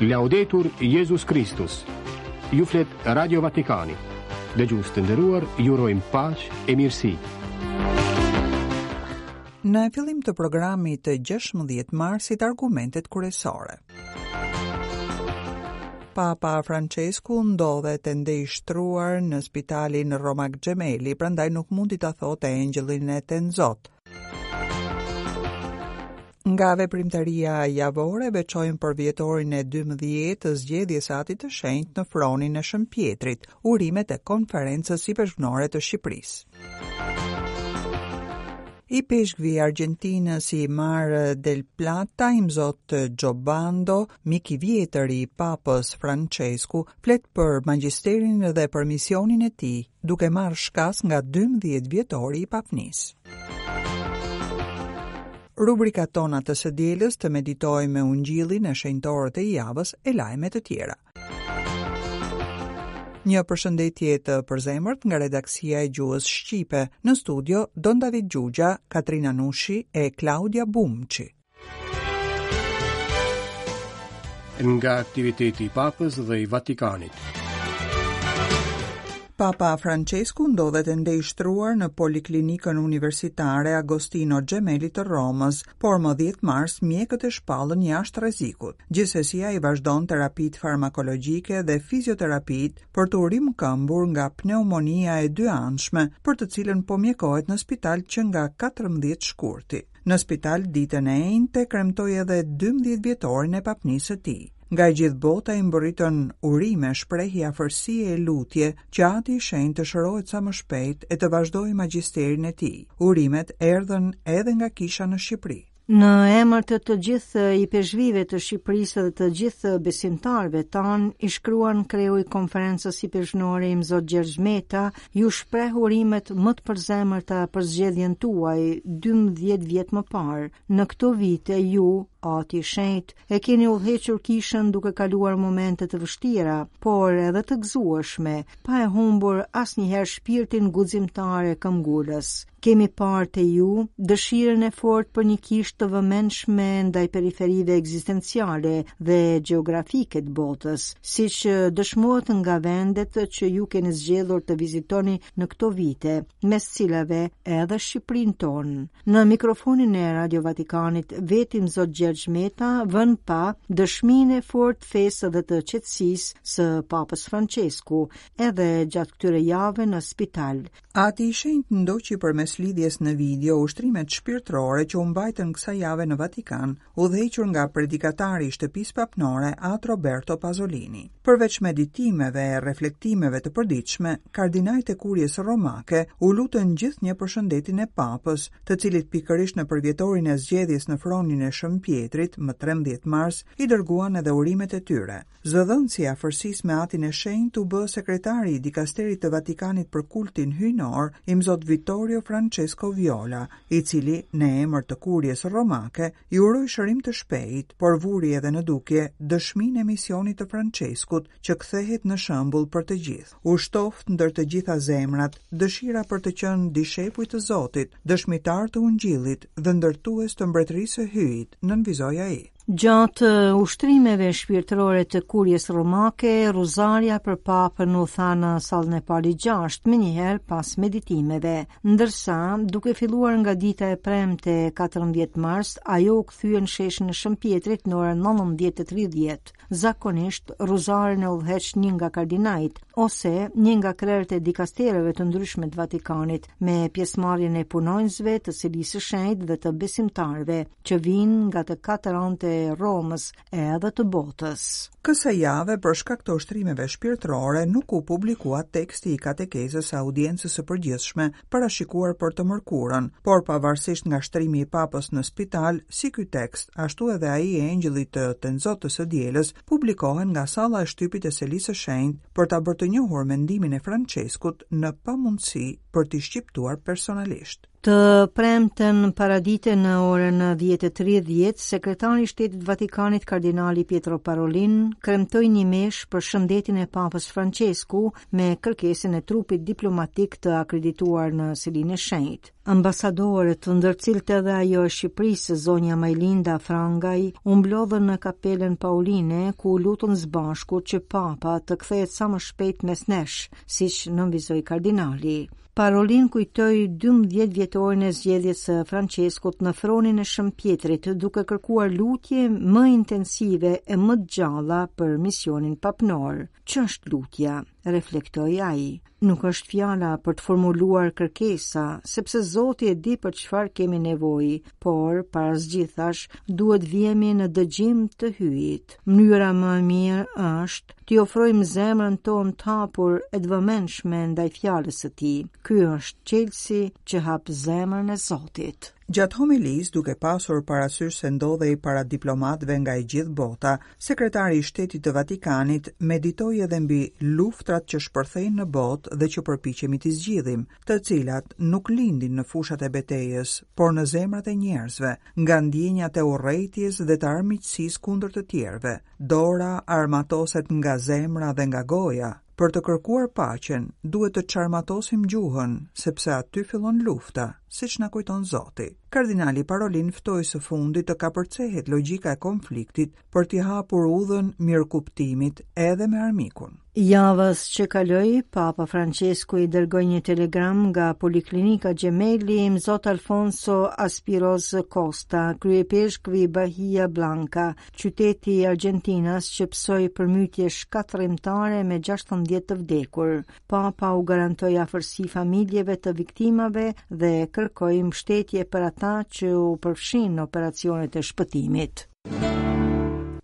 Laudetur Jezus Kristus. Ju flet Radio Vatikani. Dëgjues të nderuar, ju urojmë paqe e mirësi. Në fillim të programit të 16 marsit argumentet kryesore. Papa Francesku ndodhet ende i shtruar në spitalin Romak Gemelli, prandaj nuk mundi ta thotë Engjëllin e Tenzot. Nga veprimtaria javore veçojmë përvjetorin e 12 të zgjedhjes së Atit të Shenjtë në fronin e Shën Pjetrit, urimet e Konferencës Ipeshkvnore të Shqipërisë. Ipeshkvi i Argjentinës i Mar del Plata, imzot Giobando, mik i vjetër i Papës Francesku, flet për magjisterin dhe për misionin e tij, duke marrë shkas nga 12 vjetori i papnisë. Rubrikat tona të së dielës të meditojmë me Ungjillin e shenjtorët e javës e lajme të tjera. Një përshëndetje të përzemërt nga redaksia e gjuhës shqipe. Në studio Don David Xhuxha, Katrina Nushi e Klaudia Bumçi. Nga aktiviteti i Papës dhe i Vatikanit. Papa Francesku ndodhet ende i shtruar në Poliklinikën Universitare Agostino Gemelli të Romës, por më 10 mars mjekët e shpallën jashtë rrezikut. Gjithsesi ai vazhdon terapitë farmakologjike dhe fizioterapitë për t'u rimëkëmbur nga pneumonia e dyanshme, për të cilën po mjekohet në spital që nga 14 shkurti. Në spital ditën e enjte kremtoi edhe 12 vjetorin e papnisë së tij. Nga e gjithë bota i mbërritën urime, shprehje afërsie e lutje që Ati i Shenjtë të shërohet sa më shpejt e të vazhdojë magjisterin e tij. Urimet erdhën edhe nga kisha në Shqipëri. Në emër të të gjithë ipeshkvijve të Shqipërisë dhe të gjithë besimtarëve tanë, i shkruan kreu i Konferencës Ipeshkvnore Imzot Gjergj Meta, Ju shpreh urimet më të përzemërta për zgjedhjen tuaj 12 vjet më parë. Në këto vite ju, Ati i Shenjtë, e keni udhëhequr kishën duke kaluar momente të vështira, por edhe të gëzueshme, pa e humbur asnjëherë shpirtin guximtar e këmbgulës. Kemi parë te ju dëshirën e fortë për një kishë të vëmendshme ndaj periferive ekzistenciale dhe gjeografike të botës, siç dëshmohet nga vendet që ju keni zgjedhur të vizitoni në këto vite, mes cilave edhe Shqipërinë tonë. Në mikrofonin e Radio Vatikanit, vetë Imzot Gjergj Meta vë në pah dëshminë e fortë të fesë dhe të qetësisë së Papës Francesku, edhe gjatë këtyre javëve në spital. Ati i Shenjtë ndoqi përmes lidhjes në video ushtrimet shpirtërore që u mbajtën kësaj jave në Vatikan, udhëhequr nga predikatari i Shtëpisë Papnore, At Roberto Pazolini. Përveç meditimeve e reflektimeve të përditshme, kardinajt e Kuries Romake u lutën gjithnjë për shëndetin e Papës, të cilit pikërisht në përvjetorin e zgjedhjes në fronin e Shën Pjetrit, më 13 mars, i dërguan edhe urimet e tyre. Zëdhënësi i afërsisë me Atin e Shenjtë u bë sekretari i Dikasterit të Vatikanit për Kultin Hyjnor, Imzot Vittorio Francesco Viola, i cili, në emër të Kuries Romake, i uroi shërim të shpejtë, por vuri edhe në dukje dëshminë e misionit të Françeskut, që kthehet në shembull për të gjithë. U shtoftë ndër të gjitha zemrat dëshira për të qenë dishepuj të Zotit, dëshmitarë të Ungjillit dhe ndërtues të Mbretërisë së Hyjit, nënvizoi ai. Gjatë ushtrimeve shpirtërore të Kuries Romake, Rruzarja për Papën u tha në sallën e Palit 6, menjëherë pas meditimeve. Ndërsa, duke filluar nga dita e premte 14 mars, ajo u kthye në sheshin e Shën Pjetrit në orën 19:30. Zakonisht, Rruzaren e udhëheq një nga kardinajt, ose një nga krerët e dikastereve të ndryshme të Vatikanit, me pjesëmarrjen e punonjësve të Selisë së Shenjtë dhe të besimtarëve. që vijnë nga të katër anët e Romës e edhe të botës. Kësaj jave, për shkak të ushtrimeve shpirtërore, nuk u publikua teksti i katekezës së audiencës së përgjithshme, parashikuar për të mërkurën, por pavarësisht nga shtrimi i Papës në spital, si ky tekst, ashtu edhe ai i Engjëllit të Tenzot të së dielës, publikohen nga salla e shtypit e Selisë së Shenjtë për ta bërë të njohur mendimin e Françeskut në pamundësi për t'i shqiptuar personalisht. Të premten paradite në orën 10:30, sekretari i Shtetit të Vatikanit kardinali Pietro Parolin kremtoi një meshë për shëndetin e Papës Françesku me kërkesën e trupit diplomatik të akredituar në Selinë e Shenjtë. Ambasadorët, ndër të cilët edhe ajo e Shqipërisë, zonja Majlinda Frangaj, u mblodhën në Kapelën Pauline, ku u lutën së bashku që Papa të kthehet sa më shpejt mes nesh, siç nënvizoi kardinali. Parolin kujtoi 12 vjetorin e zgjedhjes së Françeskut në fronin e Shën Pjetrit, duke kërkuar lutje më intensive e më të gjalla për misionin papnor. Ç'është lutja? reflektoi ai. Nuk është fjala për të formuluar kërkesa, sepse Zoti e di për çfarë kemi nevojë, por para së gjithash duhet vihemi në dëgjim të Hyjit. Mënyra më e mirë është t'i ofrojmë zemrën tonë të hapur e të vëmendshme ndaj fjalës së tij. Ky është çelësi që hap zemrën e Zotit. Gjatë homilisë, duke pasur parasysh se ndodhej para diplomatëve nga e gjithë bota, sekretari i Shtetit të Vatikanit meditoi edhe mbi luftrat që shpërthejnë në botë dhe që përpiqemi t'i zgjidhim, të cilat nuk lindin në fushat e betejës, por në zemrat e njerëzve, nga ndjenjat e urrejtjes dhe të armiqësisë kundër të tjerëve. Dora armatoset nga zemra dhe nga goja. Për të kërkuar paqen, duhet të çarmatosim gjuhën, sepse aty fillon lufta, siç na kujton Zoti. Kardinali Parolin ftoi së fundi të kapërcehet logjika e konfliktit për t'i hapur udhën mirëkuptimit edhe me armikun. Javës që kaloi, Papa Francesku i dërgoi një telegram nga Poliklinika Gemelli Imzot Alfonso Azpiroz Costa, kryeipeshkvi i Bahia Blanca, qyteti argjentinas që pësoi përmbytje shkatërrimtare me 16 të vdekur. Papa u garantoi afërsi familjeve të viktimave dhe kërkoi mbështetje për ata që u përfshinë në operacionet e shpëtimit.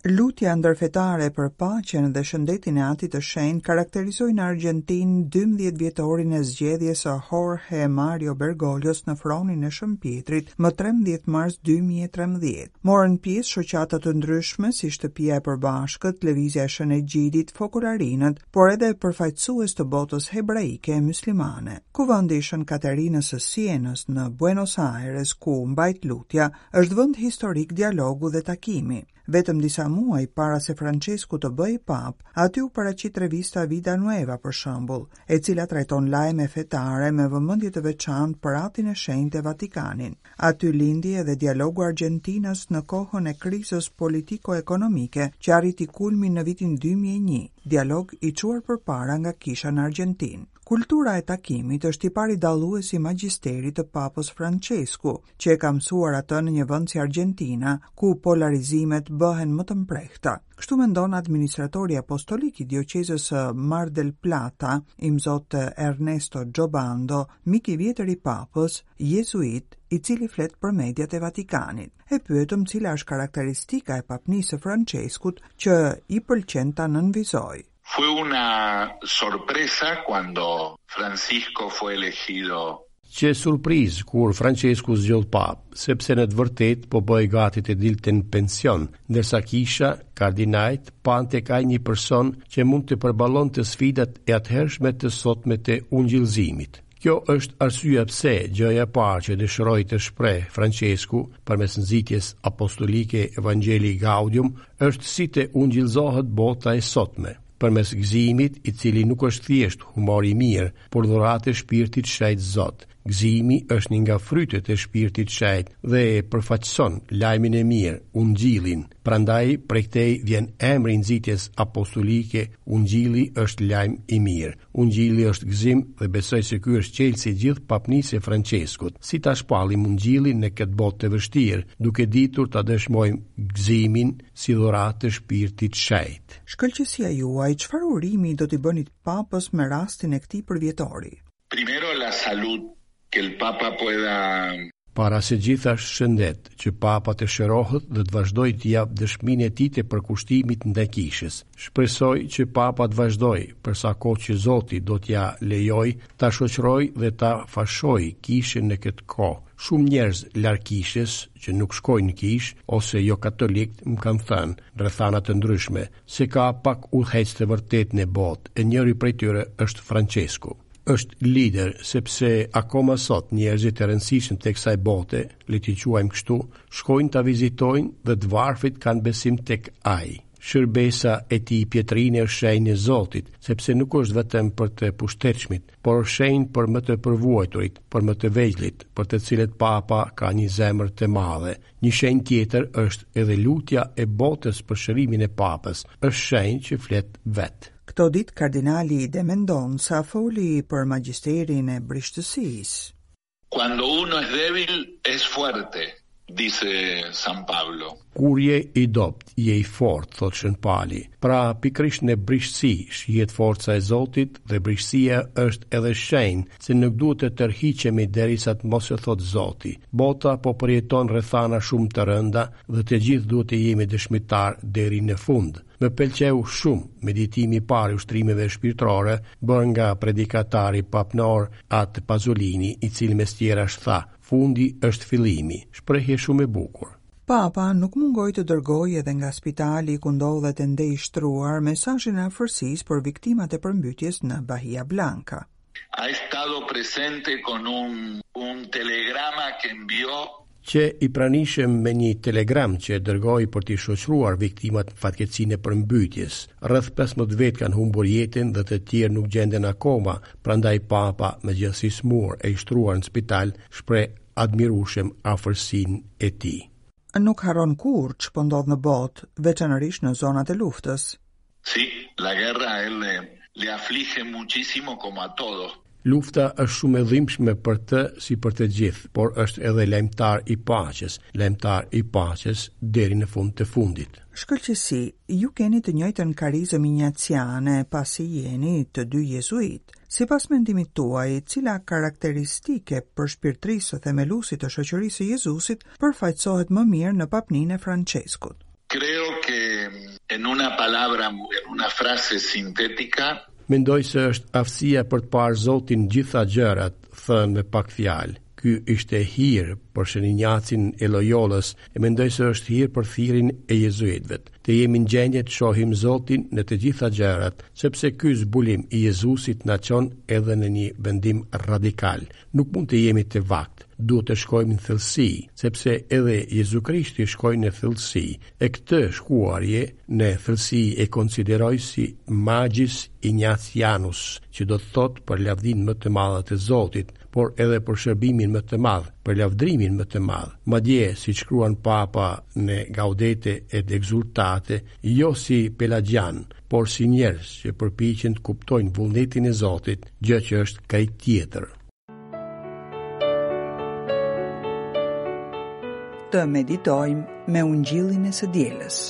Lutja ndërfetare për paqen dhe shëndetin e Atit të Shenjtë karakterizoi në Argjentinë 12 vjetorin e zgjedhjes së Jorge Mario Bergoglios në fronin e Shën Pjetrit më 13 mars 2013. Morën pjesë shoqata të ndryshme si Shtëpia e Përbashkët, Lëvizja e Shën Egjidit, Fokolarinët, por edhe përfaqësues të botës hebraike e myslimane. Kuvendi i Shën Katerinës së Sienës në Buenos Aires, ku u mbajt lutja, Është vend historik dialogu dhe takimi. Vetëm disa muaj para se Françesku të bëhej papë, aty u paraqit revista Vida Nueva për shembull, e cila trajton lajme fetare me vëmendje të veçantë për Atin e Shenjtë e Vatikanin. Aty lindi edhe dialogu argjentinas në kohën e krizës politiko-ekonomike që arriti kulmin në vitin 2001, dialog i çuar përpara nga kisha në Argjentinë. Kultura e takimit është tipari dallues i magjisterit të Papës Françesku, që e ka mësuar atë në një vend si Argjentina, ku polarizimet bëhen më të mprehta. Kështu mendon administratori apostolik i dioqezës së Mar del Plata, imzot Ernesto Giobando, mik i vjetër i Papës, jezuit, i cili flet për mediat e Vatikanit. E pyetëm cila është karakteristika e papnisë së Françeskut që i pëlqen ta nënvizojë. Fue una sorpresa cuando Francisco fue elegido Qe surprizë kur Françesku u zgjodh papë, sepse në të vërtetë po bëhej gati të dilte në pension, ndërsa kisha, kardinajt, panë tek ai një person që mund të përballonte sfidat e atëhershme të sotme të ungjillëzimit. Kjo është arsyeja pse gjëja e parë që dëshiroi të shprehë Françesku përmes nxitjes apostolike Evangelii Gaudium është si të ungjillëzohet bota e sotme, përmes gëzimit, i cili nuk është thjesht humor i mirë, por dhuratë e Shpirtit Shenjt Zot. Gëzimi është një nga frytet e Shpirtit Shenjt dhe e përfaqëson lajmin e mirë, Ungjillin. Prandaj prej këtej vjen emri i nxitjes apostolike, Ungjilli është lajm i mirë. Ungjilli është gëzim dhe besoj se ky është çelësi i gjithë papnisë së Françeskut. Si ta shpallim Ungjillin në këtë botë të vështirë, duke ditur ta dëshmojmë gëzimin si dhuratë të Shpirtit Shenjt. Shkëlqesia juaj, çfarë urimi do t'i bënit Papës me rastin e këtij përvjetori? Primero la salud, que el Papa pueda Para së gjithash shëndet, që Papa të shërohet dhe të vazhdojë të japë dëshminë e tij të përkushtimit ndaj Kishës. Shpresoj që Papa të vazhdojë, për sa kohë që Zoti do t'ia lejojë, ta shoqërojë dhe ta fashojë Kishën në këtë kohë. Shumë njerëz larg Kishës, që nuk shkojnë në Kishë, ose jokatolikë, më kanë thënë, në rrethana të ndryshme, se ka pak udhëheqës të vërtetë në botë, e njëri prej tyre është Françesku. Është lider, sepse akoma sot njerëzit e rëndësishëm të kësaj bote, le t'i quajmë kështu, shkojnë ta vizitojnë dhe të varfrit kanë besim tek ai. Shërbesa e tij pjetrine është shenjë e Zotit, sepse nuk është vetëm për të pushtetshmit, por është shenjë për më të përvuajturit, për më të vegjlit, për të cilët Papa ka një zemër të madhe. Një shenjë tjetër është edhe lutja e botës për shërimin e Papës, është shenjë që flet vetë. Këto ditë kardinali de Mendonça foli për magjisterin e brishtësisë. Cuando uno es débil, es fuerte, dice San Pablo. Kur je i dobët, je i fortë, thotë Shën Pali. Pra, pikërisht në brishtësi shihet forca e Zotit dhe brishtësia është edhe shenjë se nuk duhet të tërhiqemi derisa të mos e thotë Zoti. Bota po përjeton rrethana shumë të rënda dhe të gjithë duhet të jemi dëshmitarë deri në fund. Më pëlqeu shumë meditimi i parë i ushtrimeve shpirtërore bërë nga predikatari papnor At Pazolini, i cili mes tjerash tha, Fundi është fillimi. Shprehje shumë e bukur. Papa nuk mungoi të dërgojë edhe nga spitali ku ndodhet ende i shtruar mesazhin e afërsisë për viktimat e përmbytjes në Bahia Blanca. Ha estado presente con un un telegrama que envió Qe i pranishëm me një telegram që e dërgoi për t'i shoqëruar viktimat në fatkeqësinë e përmbytjes. Rreth 15 vetë kanë humbur jetën dhe të tjerë nuk gjenden akoma, prandaj Papa, megjithëse i sëmurë e i shtruar në spital, shpreh admirueshëm afërsinë e tij. Nuk harron kurrë ç'po ndodh në botë, veçanërisht në zonat e luftës. Sí, la guerra a él le, le aflige muchísimo como a todos. Lufta është shumë e dhimbshme për të si për të gjithë, por është edhe lajmëtar i paqes, lajmëtar i paqes deri në fund të fundit. Shkëlqesi, ju keni të njëjtën karizëm injaciane, pasi jeni të dy jezuitë. Sipas mendimit tuaj, cila karakteristikë e përshpirtërisë së themeluesit të Shoqërisë së Jezusit përfaqësohet më mirë në papninë e Françeskut? Creo que en una palabra, en una frase sintética, Mendoj se është aftësia për të parë Zotin në gjitha gjërat, thënë me pak fjalë. Ky ishte hir për Shën Injacin e Loyolës e mendoj se është hir për thirrjen e jezuitëve. Të jemi në gjendje të shohim Zotin në të gjitha gjërat, sepse ky zbulim i Jezusit na çon edhe në një vendim radikal. Nuk mund të jemi të vaktë, duhet të shkojmë në thellësi, sepse edhe Jezu Krishti shkoi në thellësi, e këtë shkuarje në thellësi e konsideroj si magis Ignatianus, që do të thotë për lavdinë më të madhe të Zotit, por edhe për shërbimin më të madh, për lavdrimin më të madh. Madje, siç shkruan Papa në Gaudete et Exultate, jo si pelagjianë, por si njerëz që përpiqen të kuptojnë vullnetin e Zotit, gjë që është krejt tjetër. Të meditojmë me ungjillin e së dielës.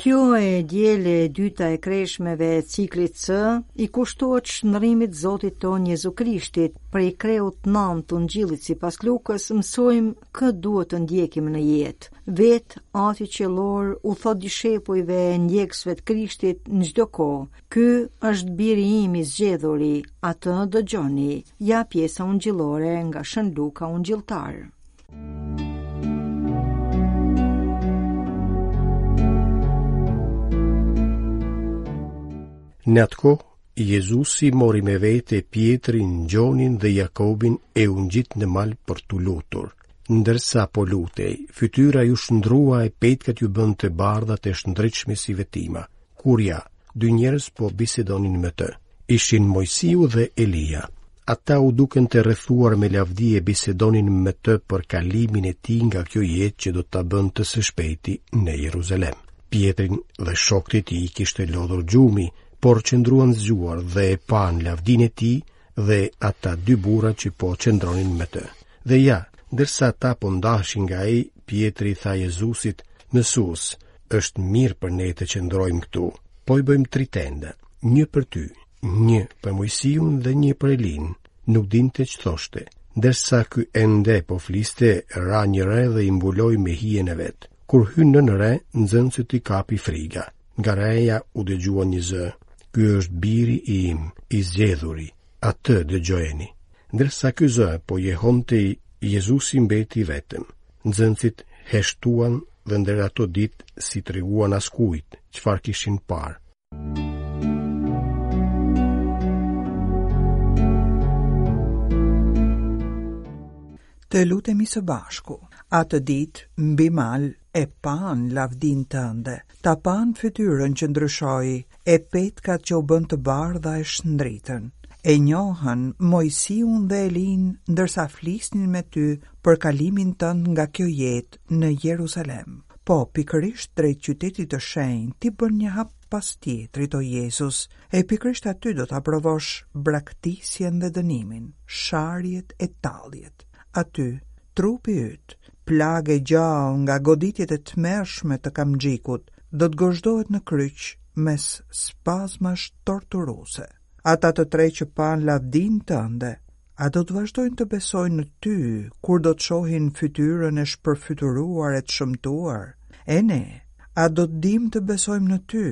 Kjo e diele e dyta e kreshmeve e ciklit C i kushtohet shndrimit Zotit tonë Jezu Krishtit prej kreut 9 të ungjillit sipas Lukës mësojmë kë duhet të ndjekim në jetë. Vetë Ati Qiellor u thotë dishepujve e ndjekësve të Krishtit në çdo kohë, Ky është biri im i zgjedhuri, atë dëgjoni. Ja pjesa ungjillore nga Shën Luka Ungjilltar. Në atë kohë, Jezusi mori me vete Pjetrin, Gjonin dhe Jakobin e u ngjit në mal për t'u lutur. Ndërsa po lutej, fytyra iu shndërrua e petkat iu bënë të bardha të shndritshme si vetëtima. Kur ja, dy njerëz po bisedonin me të. Ishin Moisiu dhe Elia. Ata u dukën të rrethuar me lavdi e bisedonin me të për kalimin e tij nga kjo jetë që do ta bënte së shpejti në Jeruzalem. Pjetrin dhe shokët e tij i kishte lodhur gjumi, por qëndruan zgjuar dhe e panë lavdinë e tij dhe ata dy burra që po qëndronin me të. Dhe ja, ndërsa ata po ndaheshin nga ai, Pjetri i tha Jezusit, Mësues, është mirë për ne të qëndrojmë këtu. Po i bëjmë tri tenda, një për ty, një për Moisiun dhe një për Elinë. Nuk dinte ç'thoshte. Ndërsa ky ende po fliste, ra një re dhe i mbuloi me hijen e vet. Kur hynë nën re, nxënësit i kapi friga. Nga reja u dëgjua një zë, Ky është biri im, i zgjedhuri, atë dëgjojeni. Ndërsa ky zë po jehonte, Jezusi mbeti vetëm. Nxënësit heshtuan dhe ndër ato ditë s'i treguan askujt çfarë kishin parë. Të lutemi së bashku. Atë ditë, mbi mal, e panë lavdinë tënde, ta panë fytyrën që ndryshoi, e petkat që u bënë të bardha e shndritën. E njohën Moisiun dhe Elinë ndërsa flisnin me ty për kalimin tënd nga kjo jetë në Jeruzalem. Po, pikërisht drejt qytetit të shenjtë, ti bën një hap pas tjetrit, o Jezus, e pikërisht aty do ta provosh braktisjen dhe dënimin, sharjet e talljet. Aty, trupi yt, plagë e gjallë nga goditjet e tmerrshme të kamxhikut, do të gozhdohet në kryq mes spazmash torturuese. Ata të tre që panë lavdinë tënde, a do të vazhdojnë të besojnë në ty kur do të shohin fytyrën e shpërfytyruar e të shëmtuar? E ne, a do të dimë të besojmë në ty,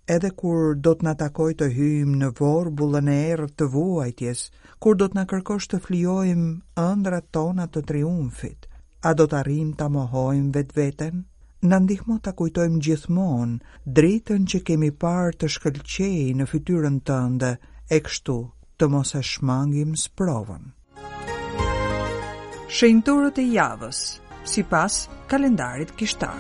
edhe kur do të na takojë të hyjmë në vorbullën e errët të vuajtjes, kur do të na kërkosh të flijojmë ëndrrat tona të triumfit, a do të arrijmë ta mohojmë vetveten? Na ndihmo ta kujtojmë gjithmonë dritën që kemi parë të shkëlqejë në fytyrën tënde, e kështu të mos e shmangim sprovën. Shenjtorët e javës, sipas kalendarit kishtar.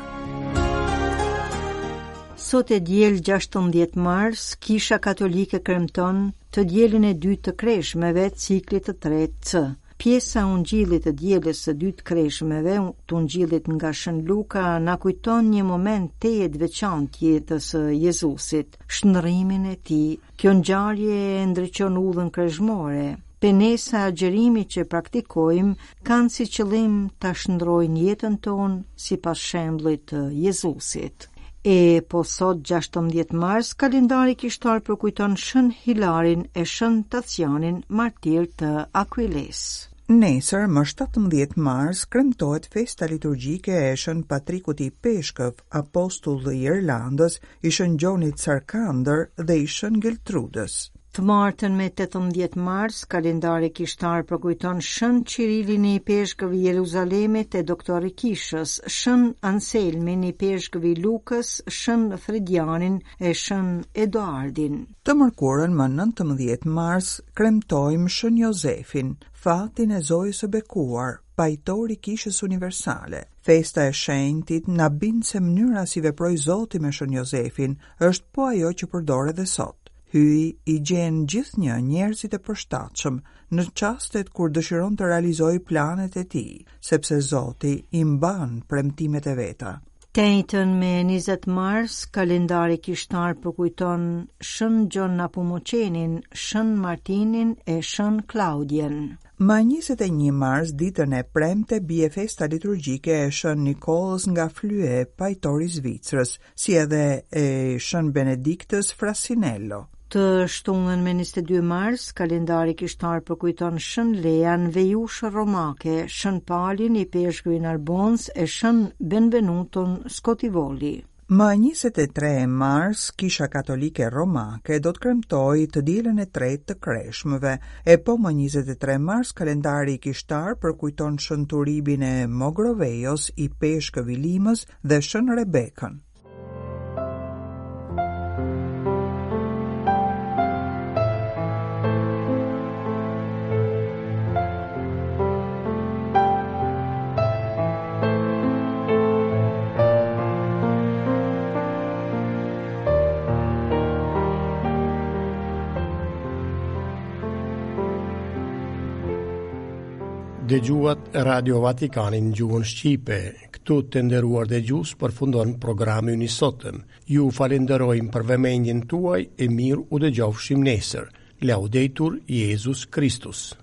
Sot e diel 16 mars, Kisha Katolike kremton të dielën e dytë të kreshmeve, ciklit të tretë C. Pjesa e Ungjillit të dielës së dytë kreshmeve, të Ungjillit nga Shën Luka, na kujton një moment tejet të veçantë të jetës së Jezusit, shndërrimin e tij. Kjo ngjarje e ndriçon udhën kreshmore. Penesa e agjërimit që praktikojmë kanë si qëllim ta shndërrojnë jetën tonë sipas shembullit të Jezusit. E po sot 16 mars, kalendari kishtar përkujton Shën Hilarin e Shën Tacianin, martirë të Akuilesë. Nesër, më 17 mars, kremtohet festa liturgjike e Shën Patrikut Ipeshkëv, apostull i Irlandës, i Shën Gjonit Sarkandër dhe i Shën Geltrudës. Të martën me 18 mars, kalendari kishtar përkujton Shën Qirilin ipeshkëv i Jeruzalemit e doktor i Kishës, Shën Anselmin ipeshkëv i Lukës, Shën Fredianin e Shën Eduardin. Të mërkurën më 19 mars, kremtojmë Shën Jozefin, fatin e Zojës së Bekuar, pajtor i Kishës Universale. Festa e shenjtit na bind se mënyra si veproi Zoti me Shën Jozefin është po ajo që përdor edhe sot. Hyji i gjen gjithnjë njerëzit e përshtatshëm në çastet kur dëshiron të realizojë planet e tij, sepse Zoti i mban premtimet e veta. Të enjten me 20 mars, kalendari kishtar përkujton Shën Gjon Nepomuçenin, Shën Martinin e Shën Klaudien. Më 21 mars, ditën e premte, bie festa liturgjike e Shën Nikollës nga Flue, pajtor i Zvicrës, si edhe e Shën Benediktës Frasinello. Të shtunën me 22 mars, kalendari kishtar përkujton Shën Lean, vejushë romake, Shën Palin, ipeshkëv i Narbonës e Shën Benvenuton Scotivoli. Më 23 mars, Kisha Katolike Romake do të kremtojë të dielën e tretë të kreshmëve, e po më 23 mars kalendari kishtar përkujton Shën Turibin e Mogrovejos, ipeshkëv i Limës dhe Shën Rebekën. Dëgjuat Radio Vatikanin në gjuhën shqipe. Këtu të nderuar dëgjues përfundon programi ynë i sotëm. Ju falenderojmë për vëmendjen tuaj e mirë u dëgjofshim nesër. Laudetur Jezus Christus.